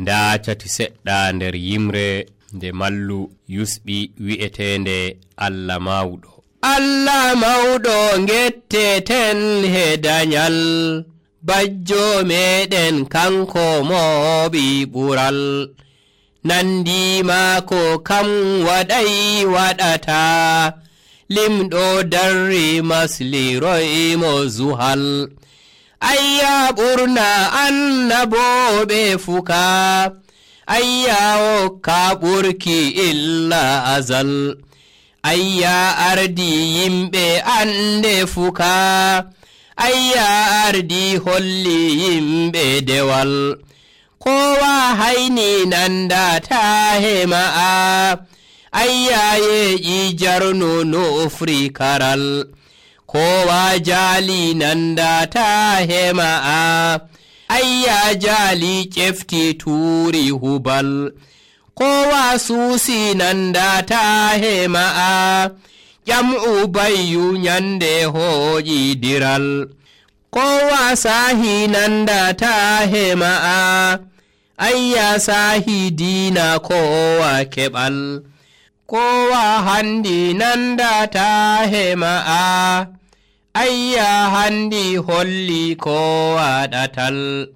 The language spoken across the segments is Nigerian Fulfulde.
nda cati seɗɗa nder yimre nde mallu yusɓi wi'etende Allah mawɗo. Allah mawɗo getteten he danyal, bajjo meɗen kanko moɓi ɓural. Nandi maako kam waɗay waɗata, limɗo darri masliroy mo zuhal. Ayya ɓurna annaboɓe fuka, ayya wokka ɓurki illa azal. Ayya ardi yimɓe ande fuka, ayya ardi holli yimɓe dewal. Kowa hayni nandata hema'a, ayya yeƴi jarno nofri karal. Kowa jali nandata hema'a, ayya jali ƴefti tuuri hubal. Kowa suusi nandata hema'a, ƴam'u bayyu nyande hooƴi diral. Kowa sahi nandata hema'a, ayya sahi diina kowa keɓal. Kowa handi nandata hema'a, ayya handi holli kowa ɗatal.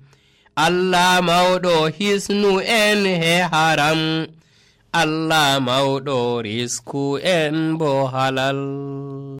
Allah mawɗo hisnu en he haram, Allah mawɗo risku en bo halal.